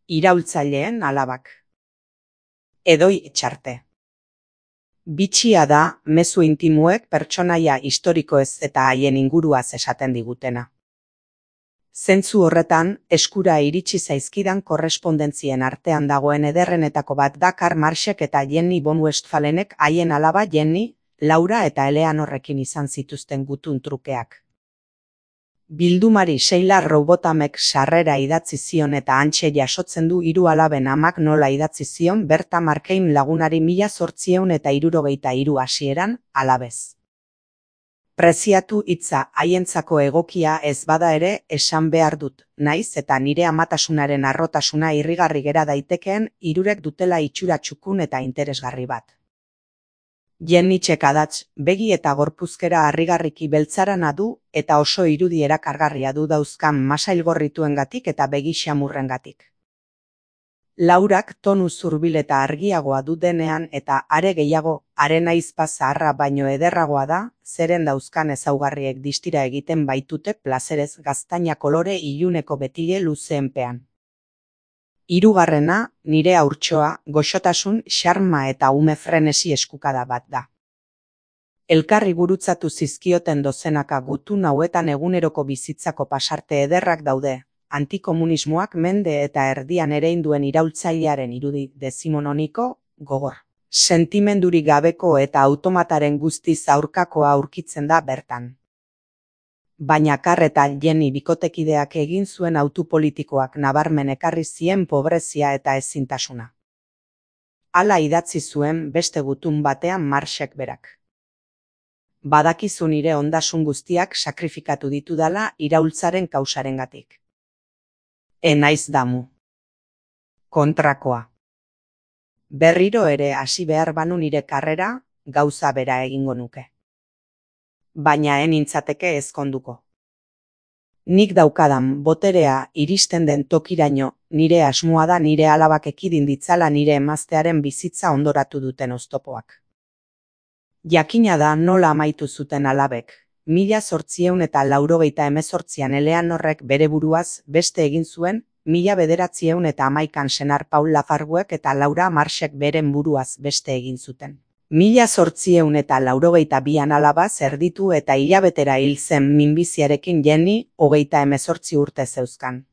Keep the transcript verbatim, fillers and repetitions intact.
Iraultzaileen alabak. Edoi Etxarte. Bitxia da mezu intimuek pertsonaia historikoez eta haien inguruaz esaten digutena. Zentzu horretan, eskura iritsi zaizkidan korrespondentzien artean dagoen ederrenetako bat da Karl Marxek eta Jenny von Westphalenek haien alaba Jenny, Laura eta Eleanorrekin izan zituzten gutun trukeak. Bildumari Sheila Robotamek sarrera idatzi zion eta hantxe jasotzen du hiru alaben amak nola idatzi zion Berta Markein lagunari mila zortziehun eta hirurogeita hiru hasieran, alabez. Preziatu hitza haientzako egokia ez bada ere esan behar dut, naiz eta nire amatasunaren harrotasuna irrigarri gera daitekeen hirurek dutela itxura txukun eta interesgarri bat. Jenny txekadatz, begi eta gorpuzkera harrigarriki beltzarana du eta oso irudi erakargarria du dauzkan masailgorrituengatik eta begi xamurrengatik. Laurak tonu zurbil eta argiagoa du denean eta are gehiago, haren ahizpa zaharra baino ederragoa da, zeren dauzkan ezaugarriek distira egiten baitute plazerez gaztaina kolore iluneko betile luzeenpean. Hirugarrena, nire haurtxoa, goxotasun, xarma eta ume frenesi eskukada bat da. Elkarri gurutzatu zizkioten dozenaka gutun hauetan eguneroko bizitzako pasarte ederrak daude, antikomunismoak mende eta erdian ereinduen iraultzailearen irudi dezimononiko, gogor. Sentimendurik gabeko eta automataren guztiz aurkakoa aurkitzen da bertan. Baina Karl eta Jenny bikotekideak egin zuen hautu politikoak nabarmen ekarri zien pobrezia eta ezintasuna. Hala idatzi zuen beste gutun batean Marxek berak. Badakizu nire ondasun guztiak sakrifikatu ditudala iraultzaren kausarengatik. E naiz damu. Kontrakoa. Berriro ere hasi behar banu nire karrera, gauza bera egingo nuke. Baina ez nintzateke ezkonduko. Nik daukadan boterea iristen den tokiraino, nire asmoa da nire alabak ekidin ditzala nire emaztearen bizitza ondoratu duten oztopoak. Jakina da nola amaitu zuten alabek, mila zortziehun eta laurogeita hemezortzian Eleanorrek bere buruaz beste egin zuen, mila bederatziehun eta hamaikan senar Paul Lafarguek eta Laura Marxek beren buruaz beste egin zuten. Mila zortziehun eta laurogeita bian alaba zerditu eta hilabetera hil zen minbiziarekin Jenny, hogeita hemezortzi urte zeuzkan.